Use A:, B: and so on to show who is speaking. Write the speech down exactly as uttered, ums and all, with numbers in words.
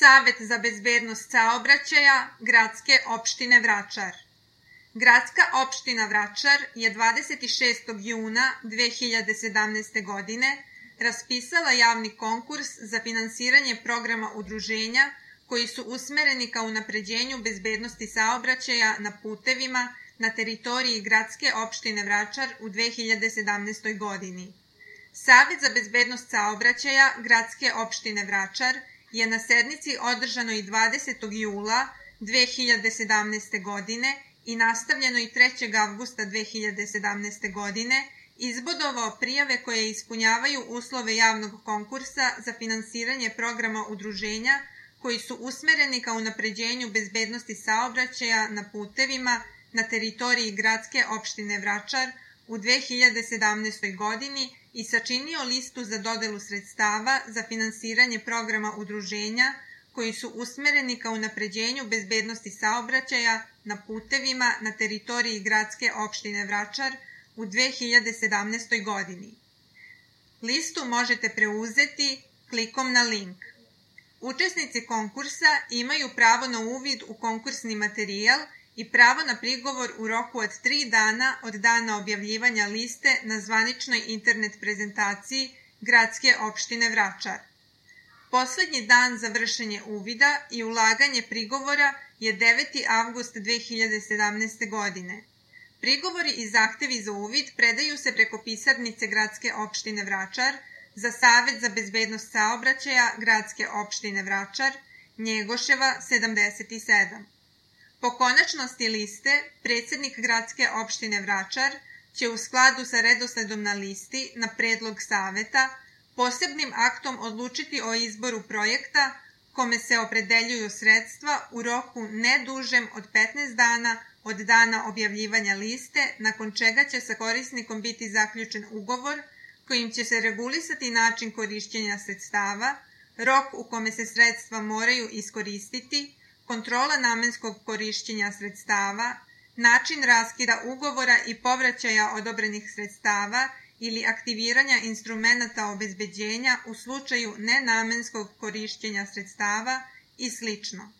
A: Savet za bezbednost saobraćaja Gradske opštine Vračar. Gradska opština Vračar je dvadeset šestog juna dve hiljade sedamnaeste. godine raspisala javni konkurs za finansiranje programa udruženja koji su usmereni ka unapređenju bezbednosti saobraćaja na putevima na teritoriji Gradske opštine Vračar u dve hiljade sedamnaestoj. godini. Savet za bezbednost saobraćaja Gradske opštine Vračar je na sednici održanoj dvadesetog jula dve hiljade sedamnaeste. godine i nastavljenoj trećeg avgusta dve hiljade sedamnaeste. godine izbodovao prijave koje ispunjavaju uslove javnog konkursa za finansiranje programa udruženja koji su usmereni ka unapređenju bezbednosti saobraćaja na putevima na teritoriji Gradske opštine Vračar u dve hiljade sedamnaestoj. godini i sačinio listu za dodelu sredstava za finansiranje programa udruženja koji su usmereni ka unapređenju bezbednosti saobraćaja na putevima na teritoriji Gradske opštine Vračar u dve hiljade sedamnaestoj. godini. Listu možete preuzeti klikom na link. Učesnici konkursa imaju pravo na uvid u konkursni materijal i pravo na prigovor u roku od tri dana od dana objavljivanja liste na zvaničnoj internet prezentaciji Gradske opštine Vračar. Poslednji dan za vršenje uvida i ulaganje prigovora je deveti avgust dve hiljade sedamnaeste. godine. Prigovori i zahtevi za uvid predaju se preko pisarnice Gradske opštine Vračar za Savet za bezbednost saobraćaja Gradske opštine Vračar, Njegoševa sedamdeset sedam. Po konačnosti liste, predsednik Gradske opštine Vračar će u skladu sa redosledom na listi na predlog Saveta posebnim aktom odlučiti o izboru projekta kome se opredeljuju sredstva u roku ne dužem od petnaest dana od dana objavljivanja liste, nakon čega će sa korisnikom biti zaključen ugovor kojim će se regulisati način korišćenja sredstava, rok u kome se sredstva moraju iskoristiti, kontrola namenskog korišćenja sredstava, način raskida ugovora i povraćaja odobrenih sredstava ili aktiviranja instrumenata obezbeđenja u slučaju nenamenskog korišćenja sredstava i slično.